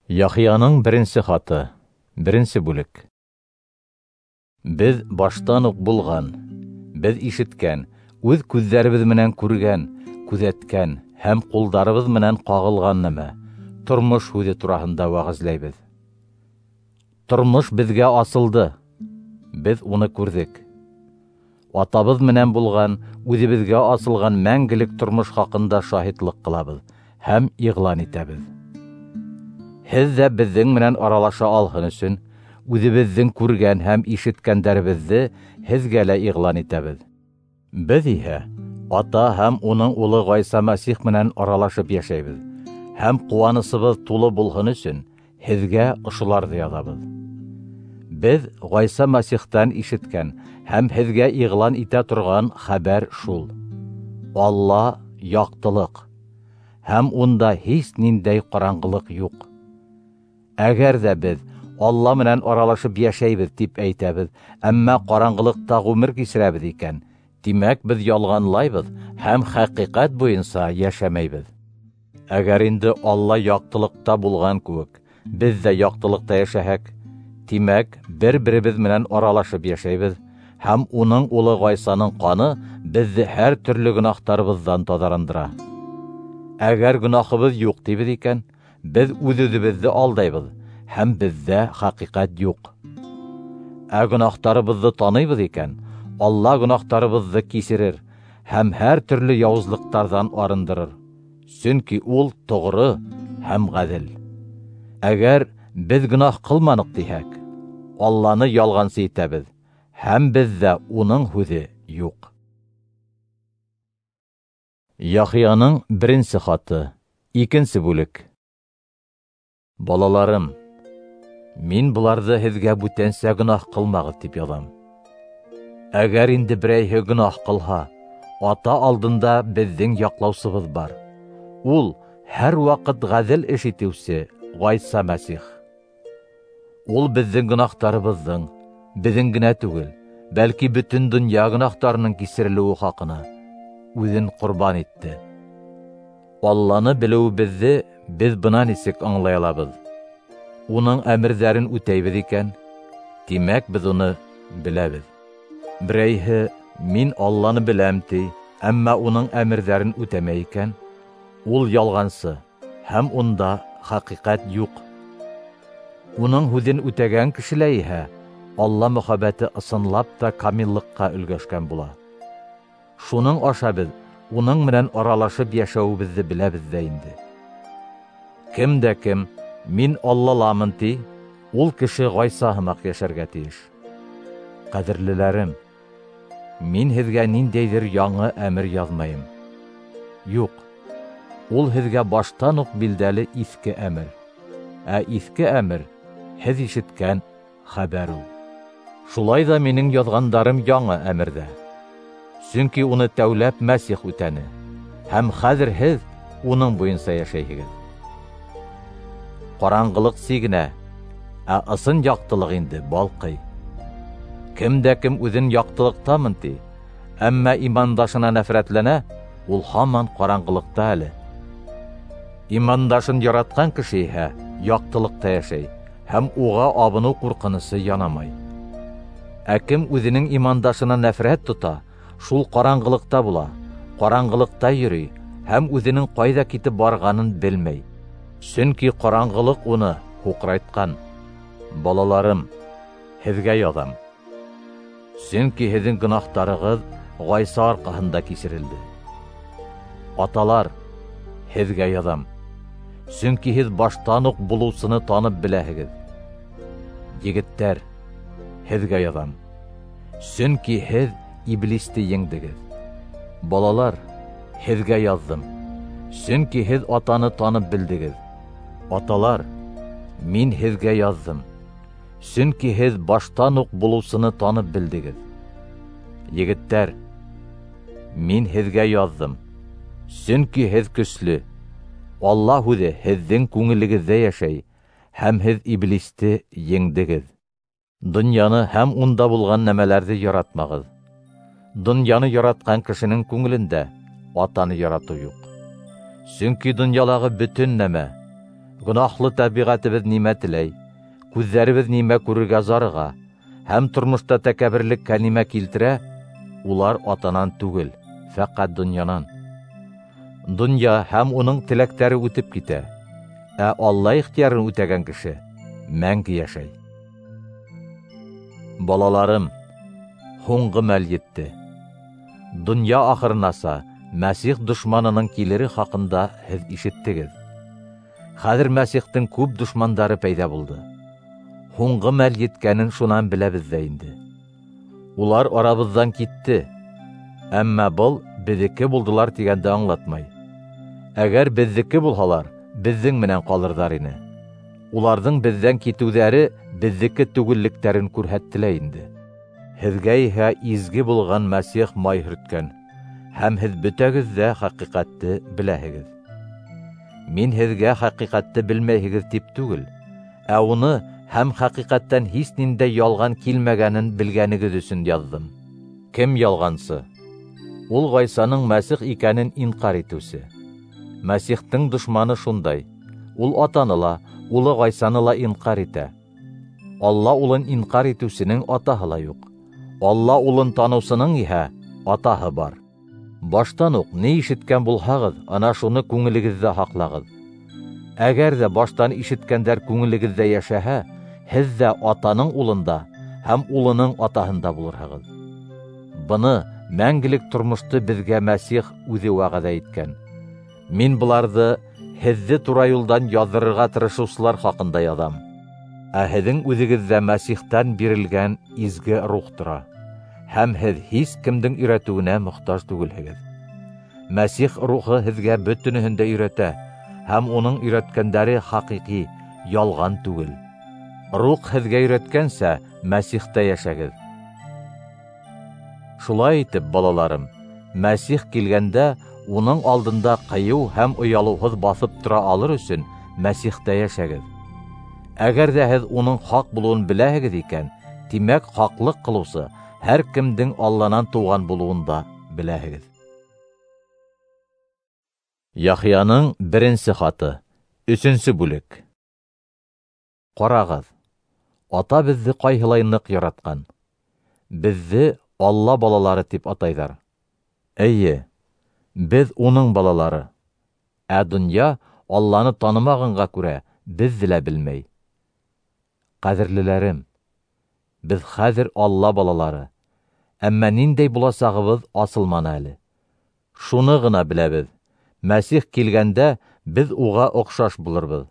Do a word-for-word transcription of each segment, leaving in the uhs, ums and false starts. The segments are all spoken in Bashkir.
Яхъяның беренсе хаты, беренсе бүлек. Беҙ баштан уҡ булған, беҙ ишеткән, үҙ күҙҙәребеҙ менән күргән, күҙәткән һәм ҡулдарыбыҙ менән ҡағылған нәмә — тормош һүҙе тураһында вәғәзләйбеҙ. Тормош беҙгә асылды, беҙ уны күрҙек. Атабыҙ менән булған, үҙебеҙгә асылған мәңгелек тормош хаҡында шаһитлыҡ ҡылабыҙ һәм иғлан итәбеҙ. Һеҙ ҙә беҙҙең менән аралаша алһын өсөн, үҙебеҙҙең күргән һәм ишеткәндәребеҙҙе һеҙгә лә иғлан итәбеҙ. Беҙ иһә Ата һәм уның улы Ғайса Мәсих менән аралашып йәшәйбеҙ, һәм ҡыуанысыбыҙ тулы булһын өсөн һеҙгә ошоларҙы яҙабыҙ. Беҙ Ғайса Мәсихтән ишеткән һәм һеҙгә иғлан итә торған хәбәр шул: Алла яҡтылыҡ, һәм унда һис ниндәй ҡараңғылыҡ юҡ. Әгәр ҙә беҙ Алла менән аралашып йәшәйбеҙ тип әйтәбеҙ, әммә ҡараңғылыҡта ғүмер кисерәбеҙ икән, тимәк беҙ ялғанлайбыҙ һәм хәҡиҡәт буйынса йәшәмәйбеҙ. Әгәр инде Алла яҡтылыҡта булған кеүек, беҙ ҙә яҡтылыҡта йәшәһәк, тимәк бер-беребеҙ менән аралашып йәшәйбеҙ, һәм уның улы Ғайсаның ҡаны беҙҙе һәр төрлө гөнаһтарыбыҙҙан таҙарындыра. Әгәр гөнаһыбыҙ юҡ тибеҙ икән, беҙ үҙ-үҙебеҙҙе алдайбыҙ, һәм беҙҙә хәҡиҡәт юҡ. Ә гөнаһтарыбыҙҙы таныйбыҙ икән, Алла гөнаһтарыбыҙҙы кисерер һәм һәр төрлө яуызлыҡтарҙан арындырыр, сөнки ул тоғро һәм ғәҙел. Әгәр беҙ гөнаһ ҡылманыҡ тиһәк, Алланы ялғансы итәбеҙ, һәм беҙҙә уның һүҙе юҡ. Яхъяның беренсе хаты, икенсе бүлек. Балаларым, мин быларҙы һеҙгә бүтәнсә гөнаһ ҡылмағыҙ тип яҙам. Әгәр инде берәйһе гөнаһ ҡылһа, Ата алдында беҙҙең яҡлаусыбыҙ бар. Ул һәр ваҡыт ғәҙел эш итеүсе Ғайса Мәсих. Ул беҙҙең гөнаһтарыбыҙҙың, беҙҙең генә түгел, бәлки бөтөн донъя гөнаһтарының кисерелеүе хаҡына үҙен ҡорбан итте. Алланы белеүебеҙҙе беҙ бына нисек аңлай алабыҙ: уның әмерҙәрен үтәйбеҙ икән, тимәк беҙ уны беләбеҙ. Берәйһе мин Алланы беләм ти, әммә уның әмерҙәрен үтәмәй икән, ул ялғансы һәм унда хәҡиҡәт юҡ. Уның һүҙен үтәгән кешелә иһә Алла мөхәббәте ысынлап та камиллыҡҡа өлгәшкән була. Шуның аша беҙ уның менән аралашып йәшәүебеҙҙе беләбеҙ ҙә инде. Кем дә кем мин Аллаламын ти, ул кеше Ғайса һымаҡ йәшәргә тейеш. Ҡәҙерлеләрем, мин һеҙгә ниндәйҙер яңы әмер яҙмайым. Юҡ, ул һеҙгә баштан уҡ билдәле иҫке әмер. Ә иҫке әмер һеҙ ишеткән хәбәр ул. Шулай ҙа минең яҙғандарым яңы әмерҙә. Сөнки уны тәүләп Мәсих үтәне, һәм хәҙер һеҙ уның буйынса йәшәйһегеҙ. Ҡараңғылыҡ сигенә, ә ысын яҡтылыҡ инде балҡый. Кем дә кем үҙен яҡтылыҡтамын ти, әммә имандашына нәфрәтләнә, ул һаман ҡараңғылыҡта әле. Имандашын яратҡан кеше иһә яҡтылыҡта йәшәй, һәм уға абыныу ҡурҡынысы янамай. Ә кем үҙенең имандашына нәфрәт тота, шул ҡараңғылыҡта була, ҡараңғылыҡта йөрөй һәм үҙенең ҡайҙа китеп барғанын белмәй. Сөнки ҡараңғылыҡ уны һуҡрайтҡан. Балаларым, һеҙгә яҙам, сөнки һеҙҙең гөнаһтарығыҙ Ғайса арҡаһында кисерелде. Аталар, һеҙгә яҙам, сөнки һеҙ баштан уҡ булыусыны танып беләһегеҙ. Егеттәр, һеҙгә яҙам, сөнки һеҙ иблисте еңдегеҙ. Балалар, һеҙгә яҙҙым, сөнки һеҙ Атаны танып белдегеҙ. Аталар, мин һеҙгә яҙҙым, сөнки һеҙ баштан уҡ булыусыны танып белдегеҙ. Егеттәр, мин һеҙгә яҙҙым, сөнки һеҙ көслө. Алла һүҙе һеҙҙең күңелегеҙҙә йәшәй, һәм һеҙ иблисте еңдегеҙ. Донъяны һәм унда булған нәмәләрҙе яратмағыҙ. Донъяны яратҡан кешенең күңелендә Атаны яратыу юҡ. Сөнки донъялағы бөтөн нәмә, Гонаһлы тәбиғәтебеҙ нимә теләй, күҙҙәребеҙ нимә күрергә зарыға һәм тормошта тәкәбберлеккә нимә килтерә, улар атанан түгел, фәҡәт донъянан. Донъя һәм уның теләктәре үтеп китә, ә Алла ихтыярын үтәгән кеше мәңге йәшәй. Балаларым, һуңғы мәл етте. Донъя ахырынаса Мәсих дошманының килере хаҡында һеҙ ишеттегеҙ. Хәҙер Мәсихтең күп дошмандары пәйҙә булды. Һуңғы мәл еткәнен шунан беләбеҙ ҙә инде. Улар арабыҙҙан китте, әммә был беҙҙеке булдылар тигәнде аңлатмай. Әгәр беҙҙеке булһалар, беҙҙең менән ҡалырҙар ине. Уларҙың беҙҙән китеүҙәре беҙҙеке түгеллектәрен күрһәтте лә инде. Һеҙгә иһә изге булған Мәсих май һөрткән, һәм һеҙ бөтәгеҙ ҙә хәҡиҡәтте беләһегеҙ. Мин һеҙгә хәҡиҡәтте белмәйһегеҙ тип түгел, ә уны һәм хәҡиҡәттән һис ниндәй ялған килмәгәнен белгәнегеҙ өсөн яҙҙым. Кем ялғансы? Ул Ғайсаның Мәсих икәнен инҡар итеүсе. Мәсихтең дошманы шундай. Ул атаны ла, улы Ғайсаны ла инҡар итә. Алла улын инҡар итеүсенең атаһы ла юҡ. Алла улын таныусының иһә атаһы бар. Баштан уҡ ни ишеткән булһағыҙ, ана шуны күңелегеҙҙә һаҡлағыҙ. Әгәр ҙә баштан ишеткәндәр күңелегеҙҙә йәшәһә, һеҙ ҙә атаның улында һәм улының атаһында булырһығыҙ. Быны мәңгелек тормошто беҙгә Мәсих үҙе вәғәҙә иткән. Мин быларҙы һеҙҙе тура юлдан яҙҙырырға тырышыусылар хаҡында яҙам. Ә һеҙҙең үҙегеҙҙә Мәсихтән бирелгән изге рух тора, һәм һеҙ һис кемдең өйрәтеүенә мохтаж түгелһегеҙ. Мәсих рухы һеҙгә бөтөнөһөн дә өйрәтә, һәм уның өйрәткәндәре хәҡиҡи, ялған түгел. Рух һеҙгә өйрәткәнсә, Мәсихтә йәшәгеҙ. Шулай итеп, балаларым, Мәсих килгәндә уның алдында ҡыйыу һәм оялыуһыҙ баҫып тора алыр өсөн Мәсихтә йәшәгеҙ. Әгәр ҙә һеҙ уның хаҡ булыуын беләһегеҙ икән, тимәк, хаҡлыҡ ҡылыусы һәр кемдең Алланан тыуған булыуын да беләһегеҙ. Яхъяның беренсе хаты, өсөнсө бүлек. Ҡарағыҙ, ата беҙҙе ҡайһылай ныҡ яратҡан. Беҙҙе Алла балалары тип атайҙар. Эйе, беҙ уның балалары. Ә донъя Алланы танымағанға күрә беҙҙе лә белмәй. Ҡәҙерлеләрем, беҙ хәҙер Алла балалары, әммә ниндәй буласағыбыҙ асылманы әле. Шуны ғына беләбеҙ: Мәсих килгәндә беҙ уға оҡшаш булырбыҙ.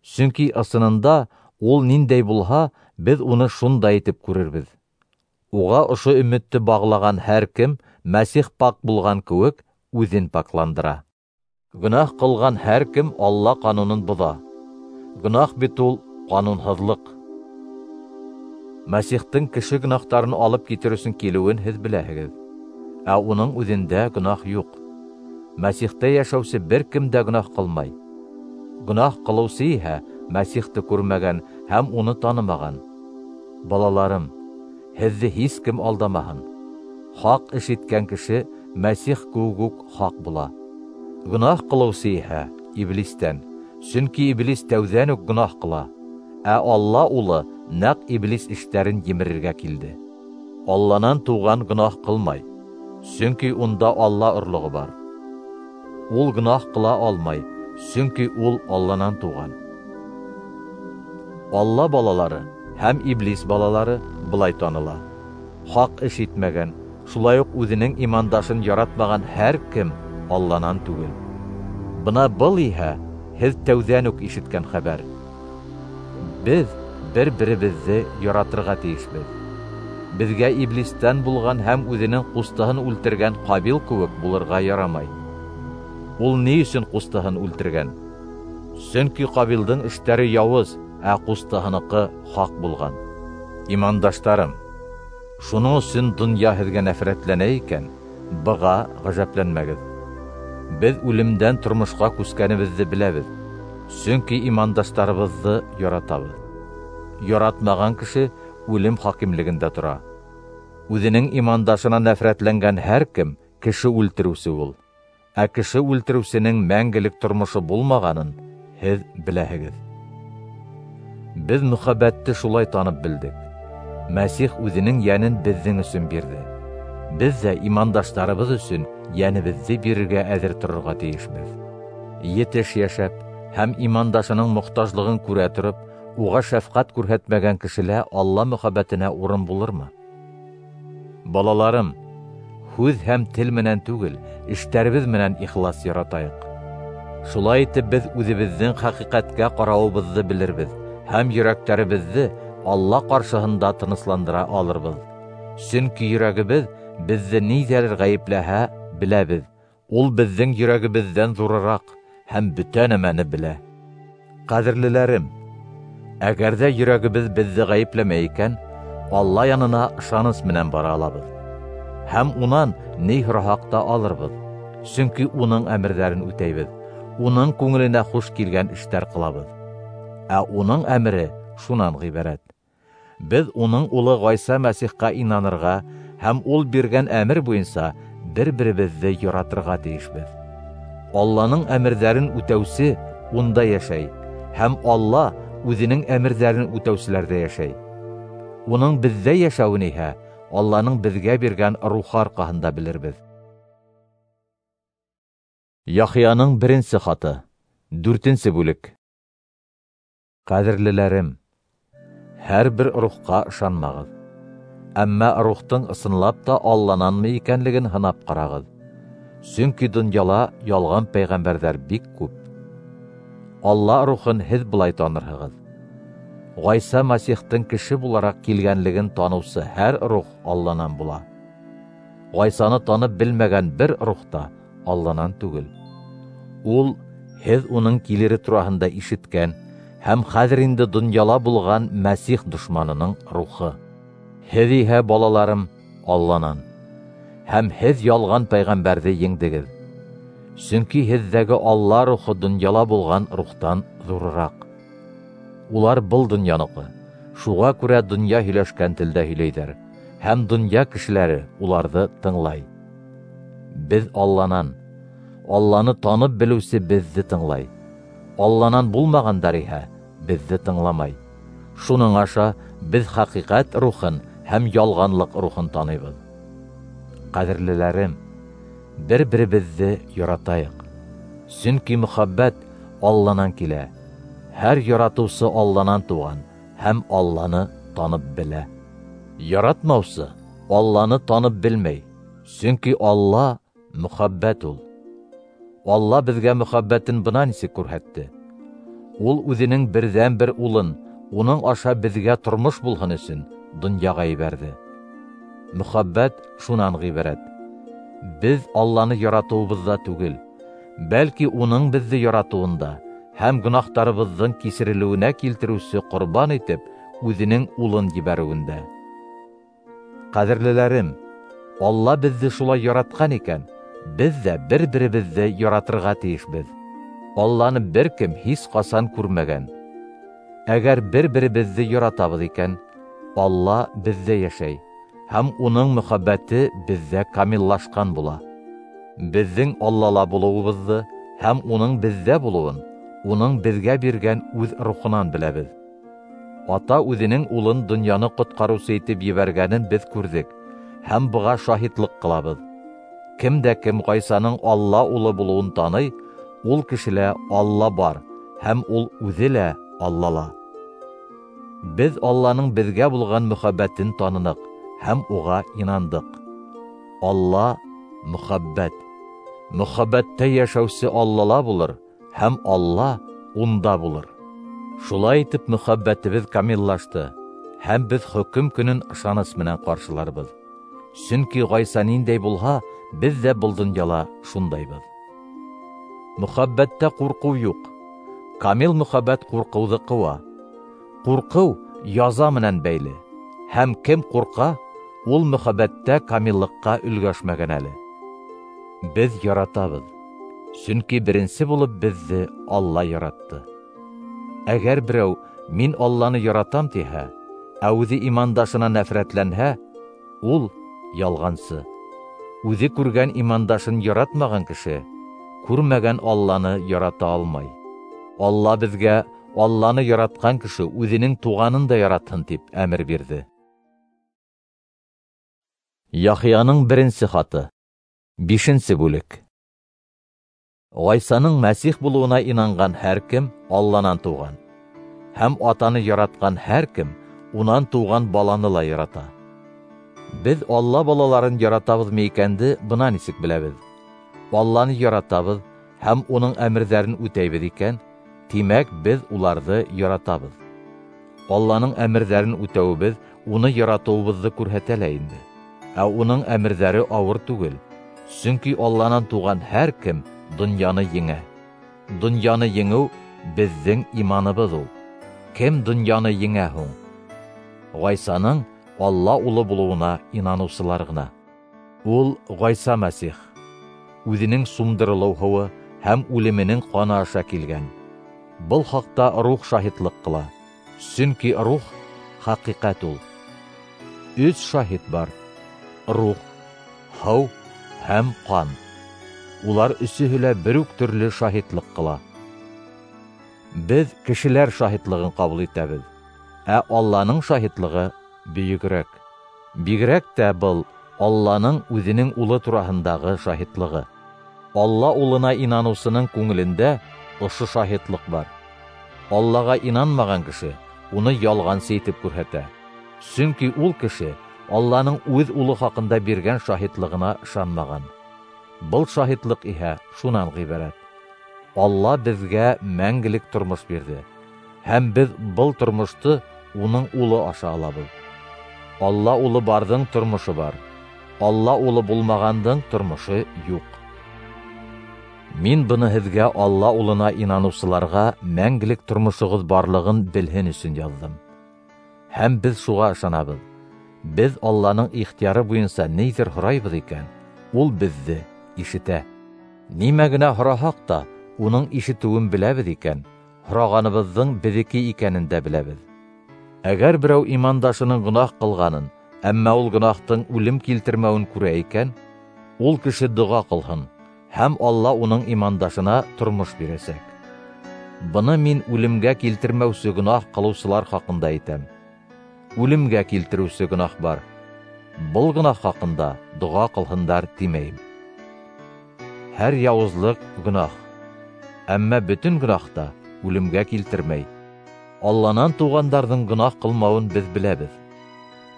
Сөнки ысынында ул ниндәй булһа, беҙ уны шундай итеп күрербеҙ. Уға ошо өмөттө бағлаған һәр кем Мәсих пак булған кеүек үҙен пакландыра. Гонаһ ҡылған һәр кем Алла ҡанунын боҙа. Гонаһ бит ул ҡанунһыҙлыҡ. Мәсихтең кеше гонаһтарын алып китер өсөн килеүен һеҙ беләһегеҙ, ә уның үҙендә гонаһ юҡ. Мәсихтә йәшәүсе бер кем дә гонаһ ҡылмай. Гонаһ ҡылыусы иһә Мәсихте күрмәгән һәм уны танымаған. Балаларым, һеҙҙе һис кем алдамаһын. Хаҡ эш иткән кеше Мәсих кеүек үк хаҡ була. Гонаһ ҡылыусы иһә иблистән, сөнки иблис тәүҙән үк гонаһ ҡыла, ә Алла улы нәҡ иблис эштәрен емерергә килде. Алланан тыуған гонаһ ҡылмай, сөнки унда Алла орлоғо бар. Ул гонаһ ҡыла алмай, сөнки ул Алланан тыуған. Алла балалары һәм иблис балалары былай таныла: хаҡ эш итмәгән, шулай уҡ үҙенең имандашын яратмаған һәр кем Алланан түгел. Бына был иһә һеҙ тәүҙән үк ишеткән хәбәр. Беҙ бер-беребеҙҙе яратырға тейешбеҙ. Беҙгә иблистән булған һәм үҙенең ҡустыһын үлтергән Ҡабил кеүек булырға ярамай. Ул ни өсөн ҡустыһын үлтергән? Сөнки Ҡабилдың эштәре яуыз, ә ҡустыһыныҡы хаҡ булған. Имандаштарым, шуның өсөн донъя һеҙгә нәфрәтләнә икән, быға ғәжәпләнмәгеҙ. Беҙ үлемдән тормошҡа күскәнебеҙҙе беләбеҙ, сөнки имандаштарыбыҙҙы яратабыҙ. Яратмаған кеше үлем хакимлегендә тора. Үҙенең имандашына нәфрәтләнгән һәр кем кеше үлтереүсе ул. Ә кеше үлтереүсенең мәңгелек тормошо булмағанын һеҙ беләһегеҙ. Беҙ мөхәббәтте шулай танып белдек. Мәсих үҙенең йәнен беҙҙең өсөн бирҙе. Беҙ ҙә имандаштарыбыҙ өсөн йәнебеҙҙе бирергә әҙер торорға тейешбеҙ. Етеш йәшәп һәм имандашының мохтажлығын күрә тороп, уға шәфҡәт күрһәтмәгән кешелә Алла мөхәббәтенә урын булырмы? Балаларым, һүҙ һәм тел менән түгел, эштәребеҙ менән ихлас яратайыҡ. Шулай итеп беҙ үҙебеҙҙең хәҡиҡәткә ҡарауыбыҙҙы белербеҙ һәм йөрәктәребеҙҙе Алла ҡаршыһында тынысландыра алырбыҙ. Сөнки йөрәгебеҙ беҙҙе ниҙәлер ғәйепләһә, беләбеҙ. Ул беҙҙең йөрәгебеҙҙән ҙурыраҡ һәм бөтә нәмәне белә. Ҡәҙерлеләрем, әгәр ҙә йөрәгебеҙ беҙҙе ғәйепләмәй икән, Алла янына ышаныс менән бара алабыҙ. Һәм унан ни һораһаҡ та алырбыҙ. Сөнки уның әмерҙәрен үтәйбеҙ, уның күңеленә хуш килгән эштәр ҡылабыҙ. Ә уның әмере шунан ғибәрәт: беҙ уның улы Ғайса Мәсихҡа инанырға һәм ул биргән әмер буйынса бер-беребеҙҙе яратырға тейешбеҙ. Алланың әмерҙәрен үтәүсе унда йәшәй, һәм Алла үҙенең әмерҙәрен үтәүселәрҙә йәшәй. Уның беҙҙә йәшәүен иһә Алланың беҙгә биргән рухы арҡаһында белербеҙ. Яхъяның беренсе хаты, дүртенсе бүлек. Ҡәҙерлеләрем, һәр бер рухҡа ышанмағыҙ. Әммә рухтың ысынлап та Аллананмы икәнлеген һынап ҡарағыҙ. Сөнки донъяла ялған пәйғәмбәрҙәр бик күп. Алла рухын һеҙ былай танырһығыҙ: Ғайса Мәсихтең кеше булараҡ килгәнлеген таныусы һәр рух Алланан була. Ғайсаны танып белмәгән бер рух та Алланан түгел. Ул һеҙ уның килере тураһында ишеткән һәм хәҙер инде донъяла булған Мәсих дошманының рухы. Һеҙ иһә, балаларым, Алланан, һәм һеҙ ялған пәйғәмбәрҙе еңдегеҙ. Сөнки һеҙҙәге Алла рухы донъяла булған рухтан ҙурыраҡ. Улар был донъяныҡы, шуға күрә донъя һөйләшкән телдә һөйләйҙәр, һәм донъя кешеләре уларҙы тыңлай. Беҙ Алланан, Алланы танып белеүсе беҙҙе тыңлай. Алланан булмағандар иһә беҙҙе тыңламай. Шуның аша беҙ хәҡиҡәт рухын һәм ялғанлыҡ рухын таныйбыҙ. Ҡәҙерлеләрем, бер-беребеҙҙе яратайыҡ. Сөнки мөхәббәт Алланан килә. Һәр яратыусы Алланан тыуған һәм Алланы танып белә. Яратмаусы Алланы танып белмәй, сөнки Алла мөхәббәт ул. Алла беҙгә мөхәббәтен бына нисек күрһәтте: Ул үҙенең берҙән-бер улын, уның аша беҙгә тормош булһын өсөн, донъяға ебәрҙе. Мөхәббәт шунан ғибәрәт: беҙ Алланы яратыуыбыҙҙа түгел, бәлки уның беҙҙе яратыуында һәм гонаһтарыбыҙҙың кисерелеүенә килтереүсе ҡорбан итеп үҙенең улын ебәреүендә. Ҡәҙерлеләрем, Алла беҙҙе шулай яратҡан икән, беҙ ҙә бер-беребеҙҙе яратырға тейешбеҙ. Алланы бер кем һис ҡасан күрмәгән. Әгәр бер-беребеҙҙе яратабыҙ икән, Алла беҙҙә йәшәй, һәм уның мөхәббәте беҙҙә камиллашҡан була. Беҙҙең Аллала булыуыбыҙҙы һәм уның беҙҙә булыуын уның беҙгә биргән үҙ рухынан беләбеҙ. Ата үҙенең улын донъяны ҡотҡарыусы итеп ебәргәнен беҙ күрҙек һәм быға шаһитлыҡ ҡылабыҙ. Кем дә кем Ғайсаның Алла улы булыуын таный, ул кешелә Алла бар, һәм ул үҙе лә Аллала. Беҙ Алланың беҙгә булған мөхәббәтен таныныҡ һәм уға инандыҡ. Алла мөхәббәт. Мөхәббәттә йәшәүсе Аллала булыр, һәм Алла унда булыр. Шулай итеп мөхәббәтебеҙ камиллашты, һәм беҙ хөкөм көнөн ышаныс менән ҡаршыларбыҙ. Сөнки Ғайса ниндәй булһа, беҙ ҙә был донъяла шундайбыҙ. Мөхәббәттә ҡурҡыу юҡ. Камил мөхәббәт ҡурҡыуҙы ҡыуа. Ҡурҡыу яза менән бәйле, һәм кем ҡурҡа, ул мөхәббәттә камиллыҡҡа өлгәшмәгән әле. Беҙ яратабыҙ, сөнки беренсе булып беҙҙе Алла яратты. Әгәр берәү мин Алланы яратам тиһә, ә үҙе имандашына нәфрәтләнһә, ул ялғансы. Үҙе күргән имандашын яратмаған кеше күрмәгән Алланы ярата алмай. Алла беҙгә Алланы яратҡан кеше үҙенең туғанын да яратһын, тип әмер бирҙе. Яхъяның беренсе хаты. Бишенсе бүлек. Ғайсаның Мәсих булыуына инанған һәр кем Алланан тыуған. Һәм атаны яратҡан һәр кем унан тыуған баланы ла ярата. Беҙ Алла балаларын яратабыҙмы икәнде бына нисек беләбеҙ. Алланы яратабыҙ һәм уның әмерҙәрен үтәйбеҙ икән, тимәк, беҙ уларҙы яратабыҙ. Алланың әмерҙәрен үтәүебеҙ уны яратыуыбыҙҙы күрһәтә лә инде. Ә уның әмерҙәре ауыр түгел. Сөнки Алланан тыуған һәр кем донъяны еңә. Донъяны еңеү беҙҙең иманыбыҙ ул. Кем донъяны еңә һуң? Ғайсаның Алла улы булыуына инаныусылар ғына. Ул Ғайса Мәсих үҙенең сумдырылыу һыуы һәм үлеменең ҡаны аша килгән. Был хаҡта рух шаһитлыҡ ҡыла. Сөнки рух хәҡиҡәт ул. Өс шаһит бар: рух, һыу һәм ҡан. Улар өсөһө лә бер үк төрлө шаһитлыҡ ҡыла. Беҙ кешеләр шаһитлығын ҡабул итәбеҙ, ә Алланың шаһитлығы бөйөгөрәк. Бигерәк тә был Алланың үҙенең улы тураһындағы шаһитлығы. Алла улына инаныусының күңелендә ошо шаһитлыҡ бар. Аллаға инанмаған кеше уны ялғансы итеп күрһәтә. Сөнки ул кеше Алланың үҙ улы хаҡында биргән шаһитлығына ышанмаған. Был шаһитлыҡ иһә шунан ғибәрәт: Алла беҙгә мәңгелек тормош бирҙе, һәм беҙ был тормошто уның улы аша алабыҙ. Алла улы барҙың тормошо бар, Алла улы булмағандың тормошо юҡ. Мин быны һеҙгә Алла улына инаныусыларға мәңгелек тормошоғоҙ барлығын белһен өсөн яҙҙым. Һәм беҙ шуға ышанабыҙ. Беҙ Алланың ихтыяры буйынса ниҙер һорайбыҙ икән, ул беҙҙе ишетә. Нимә генә һораһаҡ та, уның ишетеүен беләбеҙ икән, һорағаныбыҙҙың беҙҙеке икәнен дә беләбеҙ. Әгәр берәү имандашының гонаһ ҡылғанын, әммә ул гонаһтың үлем килтермәүен күрә икән, ул кеше доға ҡылһын, һәм Алла уның имандашына тормош бирәсәк. Быны мин үлемгә килтермәүсе гонаһ ҡылыусылар хаҡында әйтәм. Үлемгә килтереүсе гонаһ бар. Был гонаһ хаҡында доға ҡылһындар тимәйем. Һәр яуызлыҡ гонаһ, әммә бөтөн гонаһ та үлемгә килтермәй. Алланан тыуғандарҙың гонаһ ҡылмауын беҙ беләбеҙ.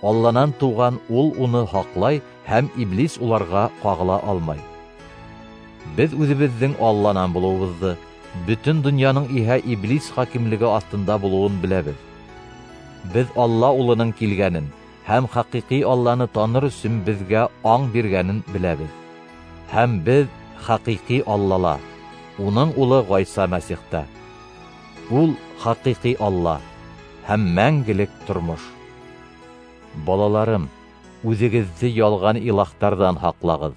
Алланан тыуған ул уны һаҡлай, һәм иблис уларға ҡағыла алмай. Беҙ үҙебеҙҙең Алланан булыуыбыҙҙы, бөтөн донъяның иһә иблис хакимлеге аҫтында булыуын беләбеҙ. Беҙ Алла улының килгәнен һәм хәҡиҡи Алланы таныр өсөн беҙгә аң биргәнен беләбеҙ. Һәм беҙ хәҡиҡи Аллала, уның улы Ғайса Мәсихта. Ул хәҡиҡи Алла һәм мәңгелек тормош. Балаларым, үҙегеҙҙе ялған илаһтарҙан һаҡлағыҙ.